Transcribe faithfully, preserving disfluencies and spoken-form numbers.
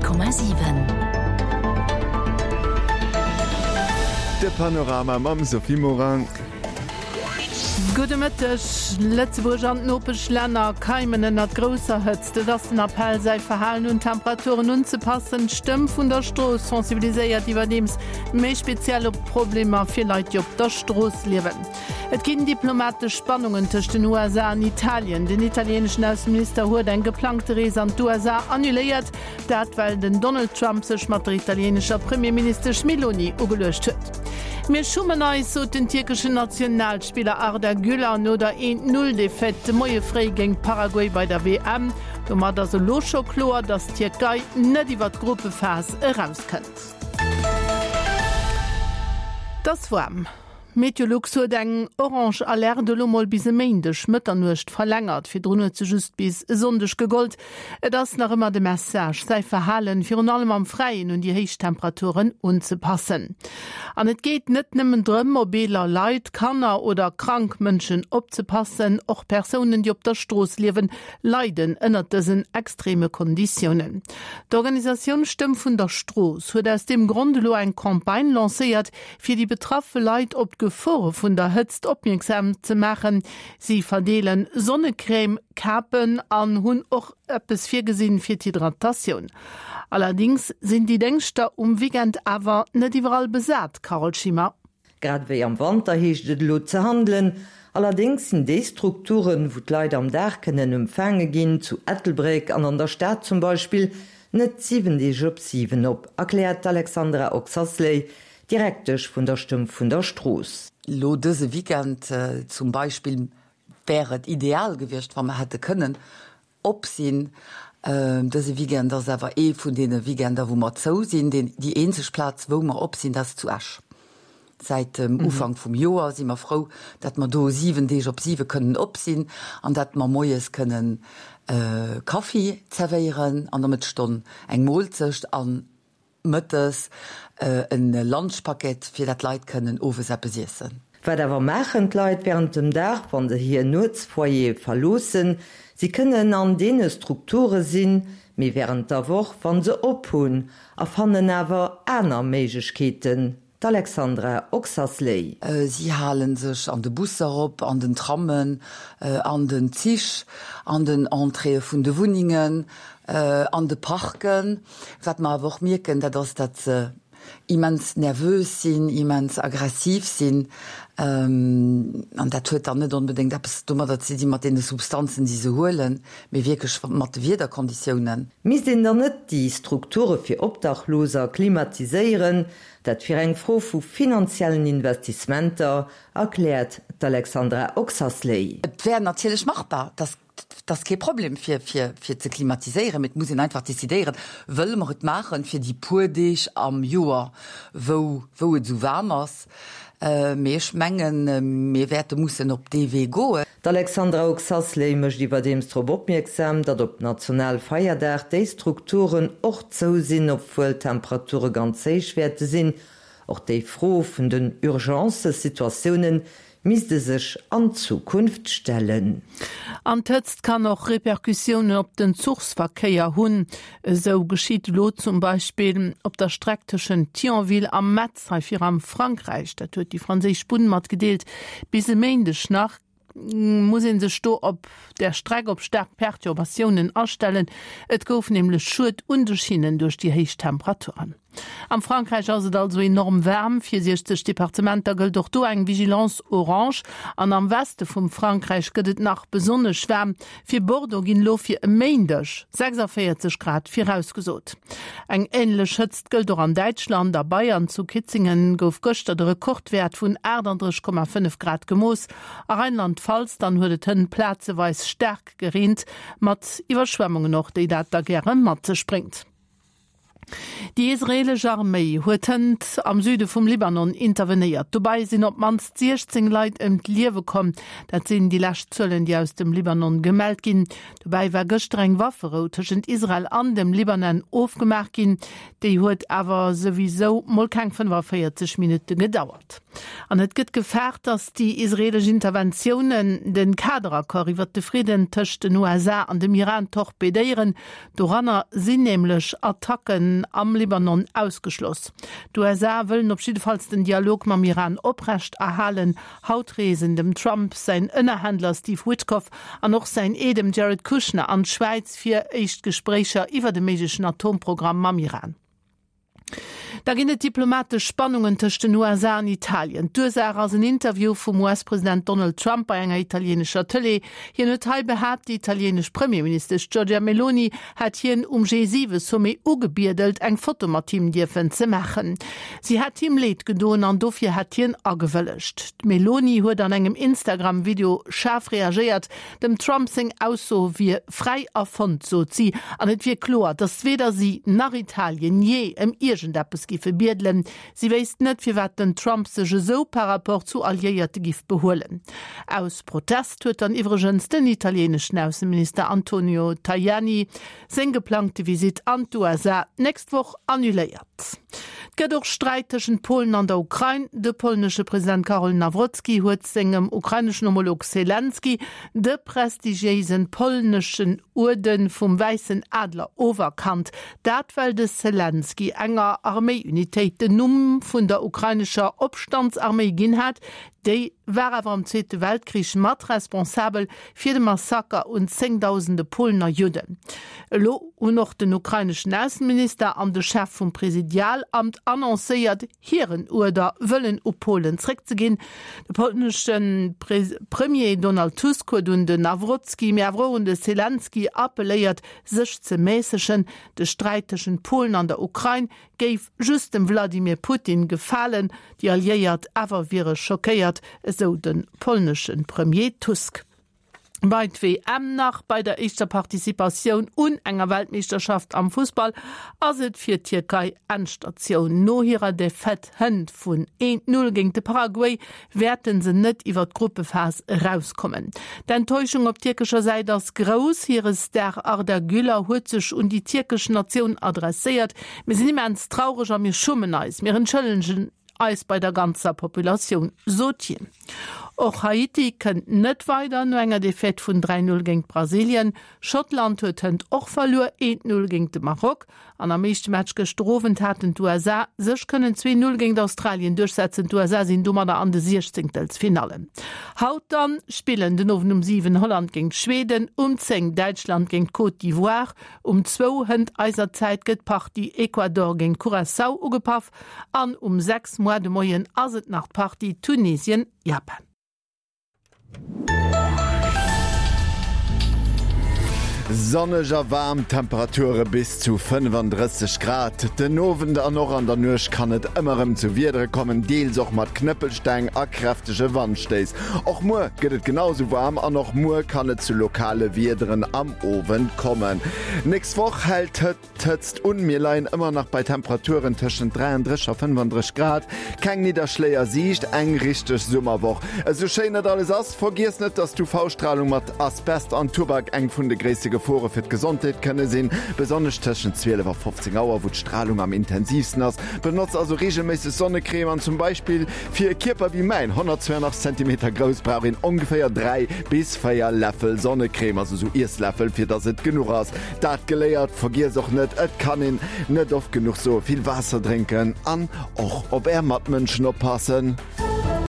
Honnert Komma siwen. De Panorama mam Sophie Morang. Gudde Mëtteg. Lëtzebuerg an d'Nopeschlänner keimen ënnert grousser Hëtzt. Et ass den Appell, säi Verhalen un d'Temperaturen unzepassen. D'Stëmm vun der Strooss sensibiliséiert iwwerdeems méi speziell op d'Problemer fir Leit, déi op der Strooss liewen. Et ginn diplomatesch Spannungen tëscht den U S A an Italien. Den italieeneschen Ausseminister huet eng geplangte Rees an d'U S A annuléiert. Dat well den Donald Trump sech mat der italieenescher Premierministesch Meloni ugeluecht huet. Mir schummen eis, sot den tierkeschen Nationalspiller Arda Güler no der eent Null Defaite de Moie fréi géint Paraguay bei der W M. Domat ass elo scho kloer, datt d'Tierkei net iwwer d'Gruppephas erauskënnt. Das waarm. Meteolux huet eng orange Alerte elo mol bis e Méindeg Mëtternuecht verlängert. Virdrun huet se just bis e Sonndeg gegollt. Et ass nach ëmmer de Message, säi Verhalen virun allem am Fräien un déi héich Temperaturen unzepassen. An et geet net nëmmen drëm, op eeler Leit, Kanner oder krank Mënschen opzepassen, och Persounen, déi op der Strooss liewen, leiden ënnert dësen extreme Konditiounen. D'Organisatioun Stëmm vun der Strooss huet aus dem Grond elo eng Campagne lancéiert, fir déi betraffe Leit op d'Gefore vun der Hëtzt opmierksam ze maachen. Si verdeelen Sonnecrème, Kapen an hunn och eppes virgesinn fir d'Hydratatioun. Allerdings sinn déi Déngschter um Weekend awer net iwwerall besat, Carole Schimmer. Grad wéi am Wanter heescht et elo ze handelen. Allerdings sinn déi Strukturen, wou d'Leit am Dag kënnen empfaange ginn, zu Ettelbréck an an der Stad zum Beispill, net siwen Deeg op siwen op, erkläert Alexandra Oxasley, Direktesch vun der Stëmm vun der Strooss. Lo dëse Weekend, äh, zum Beispill wär et ideal gewiescht, wann mer hätte kënnen op sinn. Ähm, dëse Weekend ass awer ee vun deene Weekender, wou mer zou sinn. Den, déi eenzeg Plaz, wou mer op sinn, dat ass zu Esch. Seit dem Mhm. Ufank vum Joer si mer frou, dat mer do siwen Deeg op siwe kënnen op sinn an dat mer moies kënnen, äh, Kaffi zerwéieren an der Mëttesstonn eng Moolzecht an mëttes, äh, en Lunchpaket, fir dat Leit kënnen owes eppes iessen. Wat awer maachen d'Leit während dem Dag, wann se hir Nuetsfoyer verloossen? Si kënnen an deene Strukture sinn, mee während der Woch, wann se op hunn, a fannen awer aner Méiglechkeeten. D'Alexandra Oxasley. Äh, sie halen sech an de Busser op, an den Trammen, äh, an den Zich, an den Entréeë vun de Wunnengen, äh, an de Parken. Wat mer awer och mierken, dat ass, dat se immens nervös sinn, immens aggressiv sinn. Ähm, an dat huet dann net onbedéngt eppes domadder ze dinn mat deene Substanzen, déi se huelen, mee wierklech mat de Wiederkonditiounen. Misst een dann net déi Strukture fir Obdachloser klimatiséieren, dat fir eng Fro vu finanziellen Investissementer, erkläert d'Alexandra Oxasley. Et wär natierlech machbar, das das ist kein Problem fir, fir, fir ze klimatiséieren. Mit muss een einfach decidéieren, wëlle mer et maachen fir déi puer Deeg am Joer, wou, wou et sou waarm ass. Äh, mee ech mengen, äh, mir wäerte mussen op dee Wee goen. D'Alexandra Oxasley mécht iwwerdeems drop opmierksam, datt op Nationalfeierdag déi Strukturen och zou sinn, obwuel d'Temperature ganz héich wäerte sinn. Och déi Fro vun den Urgencesituatiounen misste sech an Zukunft stellen. An d'Hëtzt kann och Repercussiounen op den Zuchsverkéier hunn. Esou geschitt elo zum Beispill op der Streck tëschent Thionville a Metz, hei fir am Frankräich. Dat huet déi franséisch Bunn matgedeelt. Bis e Méindeg nach muss een sech do op der Streck op staark Perturbatiounen astellen. Et gouf nämlech Schued un de Schinnen duerch déi héich Temperaturen. Am Frankräich ass et also enorm waarm. Fir siechzeg Departementer gëllt och do eng Vigilance orange. An am Weste vum Frankräich gëtt et nach besonnesch waarm. Fir Bordeaux ginn elo fir e Méindeg sechsundvierzig Grad virausgesot. Eng änlech Hëtzt gëllt och an Däitschland. A Bayern zu Kitzingen gouf gëschter de Rekordwäert vun achtunddrësseg Komma fënnef Grad gemooss. A Rheinland-Pfalz dann huet et hënt plazeweis staark gereent, mat Iwwerschwemmungen och, déi dat da gäre mat sech bréngt. Déi israeelesch Arméi huet hënt am Süde vum Libanon intervenéiert. Dobäi sinn op d'mannst siechzéng Leit ëm d'Liewe komm. Dat sinn déi lescht Zuelen, déi aus dem Libanon gemellt ginn. Dobäi war gëschter eng Wafferou tëschent Israel an dem Libanon ofgemaach ginn. Déi huet awer souwisou mol keng fënnefaféierzeg Minutte gedauert. An et gëtt gefaart, datt déi israeelesch Interventiounen de Kaderaccord iwwert de Fridden tëscht den U S A an dem Iran torpedéieren. Doranner sinn nämlech Attacken am Libanon ausgeschloss. D'U S A wëllen op jiddefalls den Dialog mam Iran oprecht erhalen. Haut reesen dem Trump säin Ënnerhändler Steve Witkoff an och säin Eedem Jared Kushner an d'Schwäiz fir éischt Gespréicher iwwer de méiglechen Atomprogramm mam Iran. Da ginn et diplomatesch Spannungen tëscht den U S A an Italien. D'Ursaach ass en Interview vum U S-President Donald Trump bei enger italienescher Tëlee. Hien huet hei behaapt, déi italienesch Premierministesch Giorgia Meloni hätt hien um G siwe-Sommet ugebiedelt, eng Foto mat him dierfen ze maachen. Si hätt him leed gedoen an dofir hätt hien agewëllegt. D'Meloni huet an engem Instagram-Video schaarf reagéiert. Dem Trump seng Ausso wier fräi erfonnt, sot si, an et wier kloer, datt weder si nach Italien jee ëm iergendeppes giffe biedelen. Si wéisst net, firwat den Trump sech esou par rapport zu Alliéierte giff behuelen. Aus Protest huet dann iwwregens den italieneschen Ausseminister Antonio Tajani seng geplangte Visitt an d'U S A d'nächst Woch annuléiert. Et gëtt och Sträit tëschent Polen an der Ukrain. De polnesche President Karol Nawrocki huet sengem ukraineschen Homolog Selenskyj de prestigiéisen polneschen Uerde vum Wäissen Adler oferkannt. Dat well de Selenskyj enger Arméiunitéit den Numm vun der ukrainescher Opstandsarméi ginn hat. Déi war awer am Zweete Weltkrich mat responsabel fir de Massaker un zéngdausende Polen a Judden. Elo hunn och den ukraineschen Ausseminister an de Chef vum Presidialamt annoncéiert, hiren Uerder wëllen u Polen zréckzeginn. De polnesche Premier Donald Tusk huet un den Nawrocki, mee awer och un de Selenskyj appelléiert, sech ze mässegen. De Sträit tëschent Polen an der Ukrain géif just dem Wladimir Putin gefalen, déi Alliéiert awer wiere schockéiert, esou de polnesche Premier Tusk. Bei d'W M nach, bei der éischter Participatioun un enger Weltmeeschterschaft am Fussball ass et fir d'Tierkei Endstatioun. No hirer Defaite hënt vun eent Null géint de Paraguay wäerte se net iwwer d'Gruppephas erauskommen. D'Enttäuschung op tierkescher Säit ass grouss. Hire Star Arda Güler huet sech un déi tierkesch Natioun adresséiert, Mir sinn immens traureg a mir schummen eis. Mir entschëllegen eis bei der ganzer Populatioun, sot hien. Och Haiti kënnt net weider no enger Defaite vun dräi Null géint Brasilien. Schottland huet hënt och verluer, eent Null géint de Maroc. An am éischte Match gëschter Owend haten d'U S A sech kënnen zwee Null géint Australien duerchsetzen. D'U S A sinn domadder an de Siechzéngtelsfinallen. Haut dann spillen den Owend um siwen Holland géint Schweden, um zéng Däitschland géint Côte d'Ivoire, um zwou hënt eiser Zäit gëtt d'Partie Ecuador géint Curaçao ugepaff an um sechs muer de Moien ass et nach d'Partie Tunesien-Japan. Sonneg a waarm Temperature bis zu fënnefandrësseg Grad. Den Owend an och an der Nuecht kann et ëmmer erëm zu Wiedere kommen, deels och mat Knëppelsteng a kräftege Wandstéiss. Och muer gëtt et genau sou waarm an och muer kann et zu lokale Wiederen am Owend kommen. Nächst Woch hält d'Hëtzt un, mir leien ëmmer nach bei Temperaturen tëschent dräiandrësseg a fënnefandrësseg Grad. Keng Nidderschléi a Siicht, eng richteg Summerwoch. Esou schéin dat alles ass, vergiess net, dass d'U V-Stralung mat Asbest an Tubak eng vun de gréisste Gefore fir d'Gesondheet kënne sinn, besonnesch tëschent zwielef a fofzéng Auer, wou d'Stralung am intensivsten ass. Benotz also reegelméisseg Sonnecrème an zum Beispill fir e Kierper wéi mäin, honnertzwouenachtzeg Zentimeter grouss, brauch een ongeféier dräi bis véier Läffel Sonnecrème, also sou Iessläffel, fir dass et genuch ass. Dat geléiert, vergiess och net, et kann een net oft genuch soen, vill Waasser drénken an och op är Matmënschen oppassen.